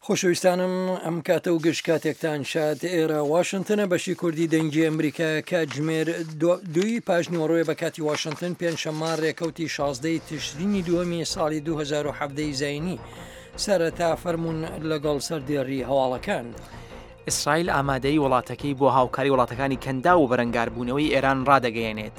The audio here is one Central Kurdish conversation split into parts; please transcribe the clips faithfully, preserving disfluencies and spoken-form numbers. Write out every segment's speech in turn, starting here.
خۆشەویستانم ئەم کاتە و گشت کاتێکتان شاد. ئێرە واشنتنە، بەشی کوردی دەنگی ئەمریکا. کاتژمێر دووی پاش نیوەڕۆیە بە کاتی واشنتن، پێنجشەممە ڕێکەوتی شازدەی تشرینی دووەمی ساڵی دوو هەزار و حەڤدە زایینی. سەرەتا فەرمونون لەگەڵ سەردێڕی هەواڵەکان. ئیسرائیل ئامادەی وڵاتەکەی بۆ هاوکاری وڵاتەکانی کەنداو و بەرەنگاربوونەوەی ئێران ڕادەگەیەنێت.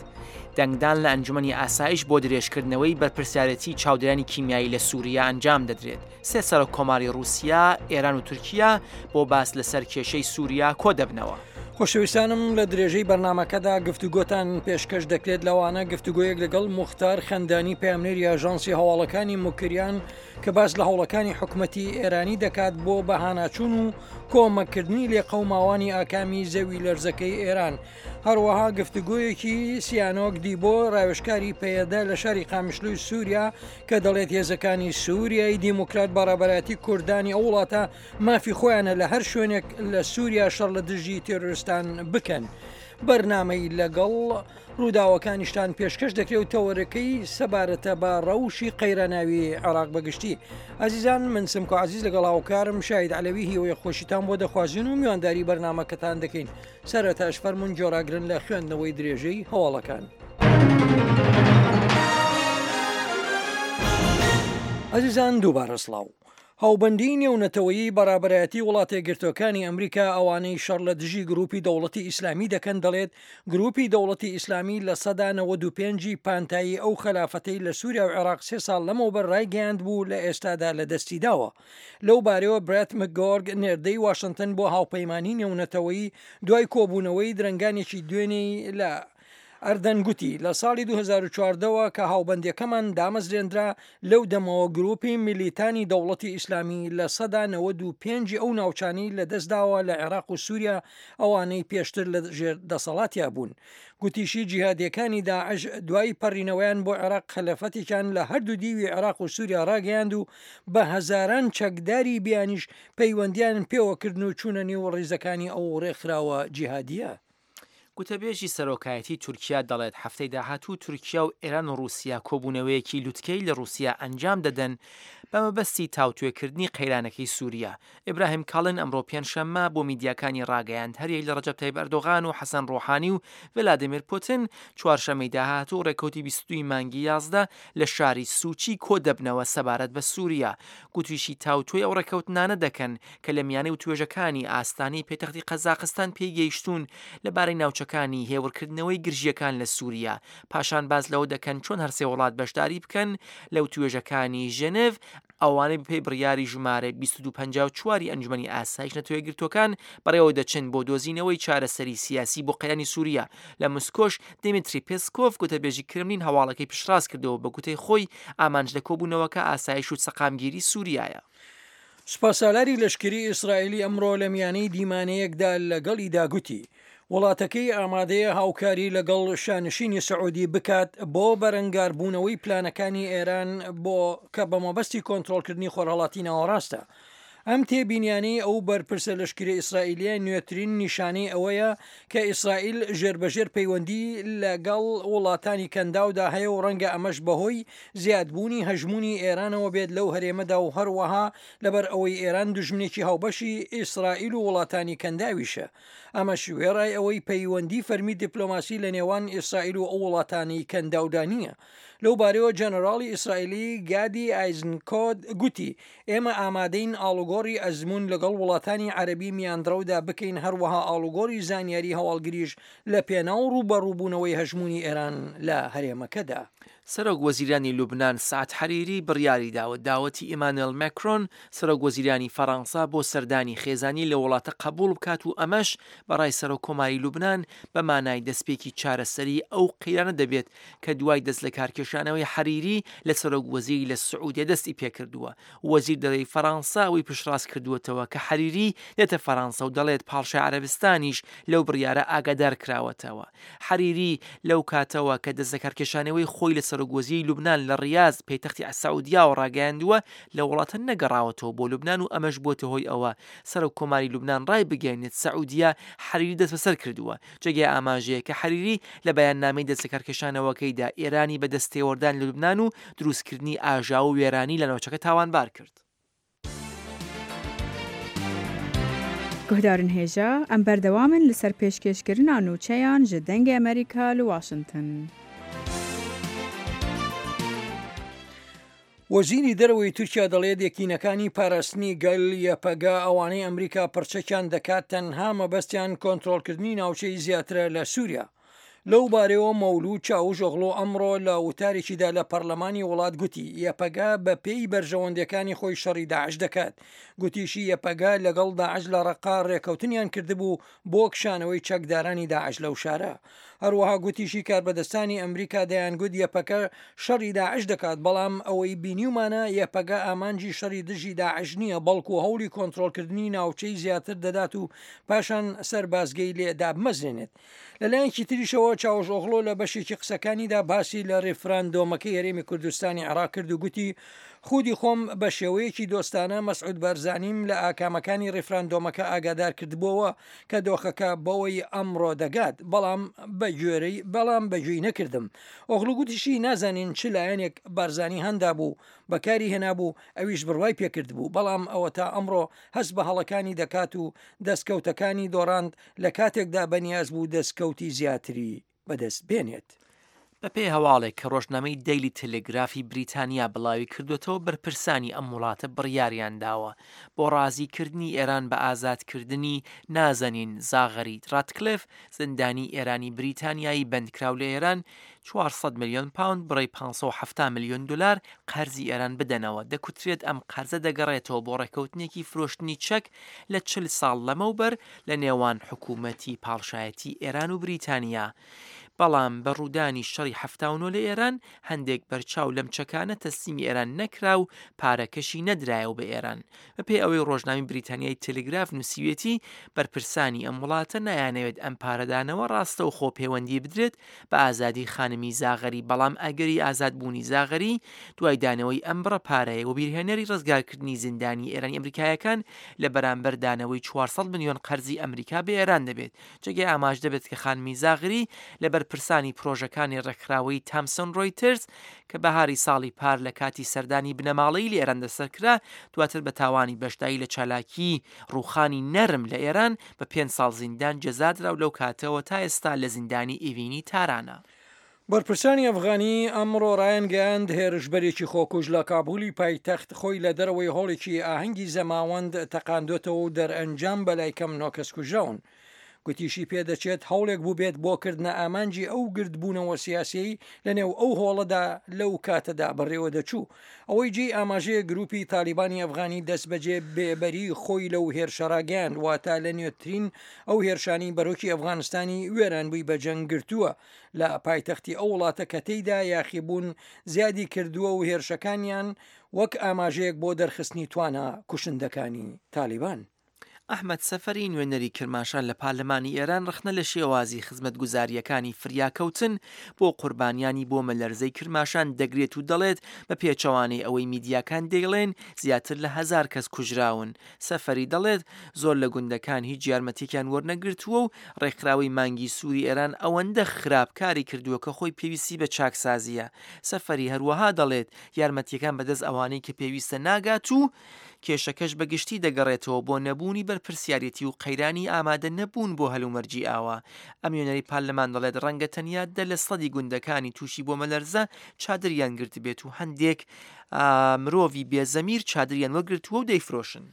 دەنگدان لە ئەنجومەنی ئاسایش بۆ درێژکردنەوەی بەرپرسیارەتی چاودێرانی کیمیایی لە سووریا ئەنجام دەدرێت. سێ سەرۆک کۆماری رووسیا، ئێران و تورکیا بۆ باس لەسەر کێشەی سووریا کۆ دەبنەوە. خۆشەویستانم، لە درێژەی بەرنامەکەدا گفتوگۆتان پێشکەش دەکرێت، لەوانە گفتوگۆیەک لەگەڵ موختار خەندانی، پەیامنێری ئاژانسی هەواڵەکانی موکریان، کە باس لە هەوڵەکانی حکومەتی ئێرانی دەکات بۆ بەهاناچوون و کۆمەکردنی لێقەوماوانی ئاکامی زەوی لەرزەکەی ئێران. هەروەها گفتوگۆیەکی سیانۆک دیبۆ، ڕاوێژکاری پەیەدە لە شاری قامیشلوی سووریا، کە دەڵێت هێزەکانی سووریای دیموکرات بە ڕابەرایەتی کوردانی ئەو وڵاتە مافی خۆیانە لە هەر شوێنێک لە سووریا شەڕ لە دژی تێرۆرستان بکەن. بەرنامەی لەگەڵ ڕووداوەکانیشتان پێشکەش دەکرێت و تەوەرەکەی سەبارەتە بە ڕەوشی قەیراناوی عێراق بەگشتی. ئازیزان، من سمکۆ عزیز لەگەڵ هاوکارم شاید عەلەوی هیوای خۆشیتان بۆ دەخوازین و میوانداری بەرنامەکەتان دەکەین. سەرەتاش فەرمونون گوێڕاگرن لە خوێندنەوەی درێژەی هەواڵەکان. ئازیزان، دووبارە سڵاو. هاوبەندی نێونەتەوەیی بە ڕابەرایەتی وڵاتە یەکگرتووەکانی ئەمریکا، ئەوانەی شەڕ لە دژی گروپی دەوڵەتی ئیسلامی دەکەن، دەڵێت گروپی دەوڵەتی ئیسلامی لە سەدا نەوەد و پێنجی پانتایی ئەو خەلافەتەی لە سووریا و عێراق سێ ساڵ لەمەوبەر ڕایگەیاند بوو لە ئێستادا لە دەستی داوە. لەو بارەوە برێت مکگۆرگ، نێردەی واشنتن بۆ هاوپەیمانی نێونەتەوەیی، دوای کۆبوونەوەی درەنگانێکی دوێنێی لە ئەردەن گوتی، لە ساڵی دوو هەزار و چواردەوە کە هاوبەندیەکەمان دامەزرێنرا، لەو دەمەوە گروپی میلیتانی دەوڵەتی ئیسلامی لە سەدا نەوەد و پێنجی ئەو ناوچانەی لە دەستداوە لە عێراق و سووریا، ئەوانەی پێشتر لە ژێر دەسەڵاتیا بوون. گوتیشی جیهادیەکانی داعش دوای پەڕینەوەیان بۆ عێراق خەلافەتێکیان لە هەردوو دیوی عێراق و سووریا ڕاگەیاند و بە هەزاران چەکداری بیانیش پەیوەندیان پێوەکردن و چوونە نێو ڕیزەکانی ئەو ڕێکخراوە جیهادیە. گوتەبێژی سەرۆکایەتی تورکیا دەڵێت هەفتەی داهاتوو تورکیا و ئێران و رووسیا کۆبوونەوەیەکی لوتکەی لە رووسیا ئەنجام دەدەن بە مەبەستی تاوتوێکردنی قەیرانەکەی سووریا. ئیبراهیم کاڵن ئەمڕۆ پێنجشەممە بۆ میدیاکانی ڕاگەیاند هەریەک لە ڕەجەب تەیب ئەردۆغان و حەسەن ڕۆحانی و ڤلادیمیر پوتین چوارشەممەی داهاتوو ڕێکەوتی بیست و دوو مانگی یازدە لە شاری سوچی کۆ دەبنەوە سەبارەت بە سووریا. گوتیشی تاوتوێی ئەو ڕێکەوتنانە دەکەن کە لە میانەی وتوێژەکانی ئاستانەی پێتەختی قەزاقستان پێی گەیشتوون لەبارەی ناوچەکانی هێورکردنەوەی گرژیەکان لە سووریا. پاشان باس لەوە دەکەن چۆن هەرسێ وڵات بەشداری بکەن لە وتوێژەکانی ژنێڤ، ئەوانەی بەپێی بڕیاری ژمارە دوو هەزار و دوو سەد و پەنجا و چوار ئەنجومەنی ئاسایش نەتەوە یەکگرتووەکان بەڕێوە دەچن بۆ دۆزینەوەی چارەسەری سیاسی بۆ قەیرانی سووریا. لە مسکۆش دیمیتری پێسکۆف، گوتەبێژی کرملین، هەواڵەکەی پشتڕاست کردەوە. بە گوتەی خۆی ئامانج لە کۆبوونەوەکە ئاسایش و سەقامگیری سووریایە. سوپاسالاری لەشکری ئیسرائیلی ئەمڕۆ لە میانەی دیمانەیەکدا لەگەڵیدا گوتی وڵاتەکەی ئامادەیە هاوکاری لەگەڵ شانشینی سعودی بکات بۆ بەرەنگاربوونەوەی پلانەکانی ئێران بۆ کە بە مەبەستی کۆنترۆڵکردنی خۆرهەڵاتی ناوەڕاستە. ئەم تێبینیانەی ئەو بەرپرسە لەشکری ئیسرائیلیە نوێترین نیشانەی ئەوەیە کە ئیسرائیل ژێربەژێر پەیوەندی لەگەڵ وڵاتانی کەنداودا هەیە و ڕەنگە ئەمەش بەهۆی زیادبوونی هەژمونی ئێرانەوە بێت لەو هەرێمەدا و هەروەها لەبەر ئەوەی ئێران دوژمنێکی هاوبەشی ئیسرائیل و وڵاتانی کەنداویشە. ئەمەش وێڕای ئەوەی پەیوەندی فەرمی دیپلۆماسی لە نێوان ئیسرائیل و ئەو وڵاتانی کەنداودا نییە. لەو بارەوە جەنەراڵی ئیسرائیلی گادی ئایزنکۆد گوتی ئێمە ئامادەین ئاڵوگۆڕی ئەزمون لەگەڵ وڵاتانی عەربی میانڕەودا بکەین، هەروەها ئاڵوگۆڕی زانیاری هەواڵگریش لە پێناو ڕووبەڕووبوونەوەی هەژمونی ئێران لە هەرێمەکەدا. سەرۆک وەزیرانی لوبناان سعد حەریری بڕیاری داوە داوەتی ئیمانوێل ماکرۆن، سەرۆک وەزیرانی فەڕەنسا، بۆ سەردانی خێزانی لە وڵاتە قبول بکات و ئەمەش بەڕای سەرۆک کۆماری لوبناان بە مانای دەستپێکی چارەسەری ئەو قەیرانە دەبێت کە دوای دەست لە کارکێشانەوەی حەریری لە سەرۆک وەزیری لە سعودیە دەستی پێکردووە. وەزیر دەرەوەی فەڕەنسا ئەوەی پشتڕاست کردووەتەوە کە حەریری دێتە فەڕەنسا و دەڵێت پاڵشای عەرەبستانیش لەو بڕیارە ئاگادار کراوەتەوە. حەریری لەو کاتەوە کە دەست لە کارکێشانەوەی خۆی لە سەرۆک وەزیری لوبناان لە ڕیاز، پێتەختی سعودیاوە ڕاگەیاندووە، لە وڵاتە نەگەڕاوەتەوە بۆ لوبناان و ئەمەش بۆتە هۆی ئەوە سەرۆک کۆماری لوبناان ڕای بگەێنێت سعودیە حەریری دەستبەسەر کردووە. جێگای ئاماژەیە کە حەریری لە بەیاننامەی دەست لەکارکێشانەوەکەیدا ئێرانی بە دەستێوەردان لە لوبناان و دروستکردنی ئاژاوە و وێرانی لە ناوچەکە تاوانبار کرد. Guhdarên hêja em berdewam in li ser pêşkêşkirina nûçeyan ji Dengê Amerîka li Washington. وەزیری دەرەوەی تورکیا دەڵێت یەکینەکانی پاراستنی گەل یەپەگە ئەوانەی ئەمریکا پرچەکیان دەکات تەنها مەبەستیان کۆنترۆڵکردنی ناوچەی زیاترە لە سووریا. لەو بارەیەوە مەولود چاوشئۆغڵو ئەمڕۆ لە وتارێکیدا لە پەرلەمانی وڵات گوتی یەپەگە بە پێی بەرژەوەندیەکانی خۆی شەڕی داعش دەکات. گوتیشی یەپەگە لەگەڵ داعش لە ڕەقا ڕێکەوتنیان کردبوو بۆ کشانەوەی چەکدارانی داعش لەو شارە. هەروەها گوتیشی کاربەدەستانی ئەمریکا دەیانگوت یەپەگە شەڕی داعش دەکات، بەڵام ئەوەی بینیومانە یەپەگە ئامانجی شەڕی دژی داعش نییە، بەڵکو هەوڵی کۆنترۆڵکردنی ناوچەی زیاتر دەدات و پاشان سەربازگەی لێ دابمەزرێنێت. لەلایەکی تریشەوە چاوشئۆغڵو لە بەشێکی قسەکانیدا باسی لە ڕیفراندۆمەکەی هەرێمی کوردستانی عێراق کرد و گوتی خودی خۆم بە شێوەیەکی دۆستانە مەسعود بارزانیم لە ئاکامەکانی ڕیفراندۆمەکە ئاگادار کردبووەوە کە دۆخەکە بەوەی ئەمڕۆ دەگات، بەڵام بەگوێرەی بەڵام بەگوێی نەکردم. ئۆغڵو گوتیشی نازانین چ لایەنێک بارزانی هەندا بوو بەکاری هێنابوو ئەویش بڕوای پێکردبوو، بەڵام ئەوە تا ئەمڕۆ هەست بە هەڵەکانی دەکات و دەستکەوتەکانی دۆڕاند لە کاتێکدا بەنیاز بوو دەستکەوتی زیاتری بەدەست بێنێت. بەپێی هەواڵێک کە ڕۆژنامەی دەیلی تەلەگرافی بریتانیا بڵاوی کردوێتەوە، بەرپرسانی ئەم وڵاتە بڕیاریان داوە بۆ ڕازیکردنی ئێران بە ئازادکردنی نازەنین زاغەری ڕاتکلێف، زیندانی ئێرانی بریتانیایی بەندکراو لە ئێران، چوار سەد ملیۆن پاوند بڕی پێنج سەد و حەفتا ملیۆن دلار قەرزی ئێران بدەنەوە. دەکوترێت ئەم قەرزە دەگەڕێتەوە بۆ ڕێککەوتنێکی فرۆشتنی چەک لە چل ساڵ لەمەوبەر لە نێوان حکوومەتی پاڵشایەتی ئێران و بریتانیا. بەڵام بە ڕوودانی شەڕی حەفتا و نۆ لە ئێران هەندێک بەرچاو لەم چەکانە تەسلیمی ئێران نەکرا و پارەکەشی نەدرایەوە بە ئێران. بەپێی ئەوەی ڕۆژنامەی بریتانیای تەلەگراف نووسیوێتی، بەرپرسانی ئەم وڵاتە نایانەوێت ئەم پارەدانەوە ڕاستەوخۆ پەیوەندی بدرێت بە ئازادی خانمی زاغەری، بەڵام ئەگەری ئازادبوونی زاغەری دوای دانەوەی ئەم بڕە پارەیە وەبیرهێنەری ڕزگارکردنی زیندانی ئێرانی ئەمریکایەکان لە بەرامبەر دانەوەی چوار سەد ملیۆن قەرزی ئەمریکا بە ئێران دەبێت. جێگەی ئاماژ دەبێت کە خانمی زاغری لە بەرپرسانی پرۆژەکانی ڕێکخراوەی تامسۆن ڕۆیتەرز کە بەهاری ساڵی پار لە کاتی سەردانی بنەماڵەی لە ئێران دەستەکرا، دواتر بە تاوانی بەشداری لە چالاکی ڕووخانی نەرم لە ئێران بە پێنج ساڵ زیندان جەزادرا و لەو کاتەوە تا ئێستا لە زیندانی ئیڤینی تارانە. بەرپرسانی ئەفغانی ئەمڕۆ ڕایانگەیاند هێرشبەرێکی خۆکوژ لە کابولی پایتەخت خۆی لە دەرەوەی هۆڵێکی ئاهەنگی زەماوەند تەقاندۆتەوە و دەرئەنجام بەلای کەم نۆ کەس کوژراون. گوتیشی پێدەچێت هەوڵێک بوو بێت بۆ کردنە ئامانجی ئەو گردبوونەوە سیاسیەی لەنێو ئەو هۆڵەدا لەو کاتەدا بەڕێوە دەچوو. ئەوەی جێی ئاماژەیە گروپی تالیبانی ئەفغانی دەستبەجێ بێبەری خۆی لەو هێرشە ڕاگەیاند، واتە لە نوێترین ئەو هێرشانی بەرۆکی ئەفغانستانی وێرانبووی بەجەنگ گرتووە لە پایتەختی ئەو وڵاتە کە تێیدا یاخیبوون زیادی کردووە و هێرشەکانیان وەک ئاماژەیەک بۆ دەرخستنی توانا کوشندەکانی تالیبان. ئەحمەد سەفەری نوێنەری کرماشان لە پارلەمانی ئێران ڕەخنە لە شێوازی خزمەتگوزارییەکانی فریاکەوتن بۆ قوربانیانی بۆمەلەرزەی کرماشان دەگرێت و دەڵێت بە پێچەوانەی ئەوەی میدیاکان دەیڵێن زیاتر لە هەزار کەس کوژراون. سەفەری دەڵێت زۆر لە گوندەکان هیچ یارمەتیەکیان وەرنەگرتووە و ڕێکخراوەی مانگی سووری ئێران ئەوەندە خراپ کاری کردووە کە خۆی پێویستی بە چاکسازیە. سەفەری هەروەها دەڵێت یارمەتیەکان بەدەست ئەوانەی کە پێویستە ناگات و کێشەکەش بەگشتی دەگەڕێتەوە بۆ نەبوونی بەرپرسیارێتی و قەیرانی ئامادە نەبوون بۆ هەلومەرجی ئاوا. ئەم نوێنەری پارلەمان دەڵێت ڕەنگە تەنیا دە لە سەدی گوندەکانی تووشی بۆمەلەرزە چادریان گرتبێت و هەندێک مرۆڤی بێزەمیر چادریان وەرگرتووە و دەیفرۆشن.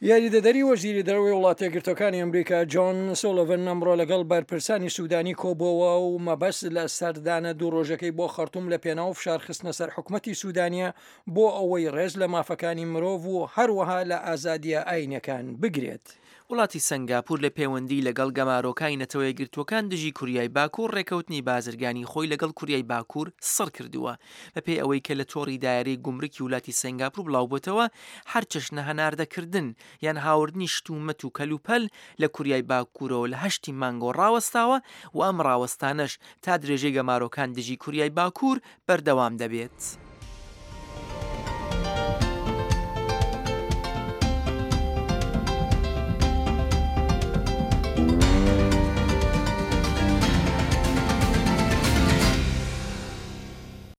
یاریدەدەری وەزیری دەرەوەی وڵاتە یەکگرتووەکانی ئەمریکا جۆن سۆلڤن ئەمڕۆ لەگەڵ بەرپرسانی سوودانی کۆبووەوە و مەبەست لە سەردانە دوو ڕۆژەکەی بۆ خەرتوم لە پێناو فشارخستنە سەر حکومەتی سوودانیە بۆ ئەوەی ڕێز لە مافەکانی مرۆڤ و هەروەها لە ئازادیە ئاینەکان بگرێت. وڵاتی سنگاپور لە پەیوەندی لەگەڵ گەمارۆکانی نەتەوە یەکگرتووەکان دژی کوریای باکوور ڕێکەوتنی بازرگانی خۆی لەگەڵ کوریای باکوور سڕ کردووە. بەپێی ئەوەی کە لە تۆڕی دایرەی گومرکی وڵاتی سنگاپور بڵاوبووتەوە، هەر چەشنە هەناردەکردن یان هاوردنی شتومەت و کەلوپەل لە کوریای باکوورەوە لە هەشتی مانگۆ ڕاوەستاوە و ئەم ڕاوەستانەش تا درێژەی گەمارۆکان دژی کوریای باکوور بەردەوام دەبێت.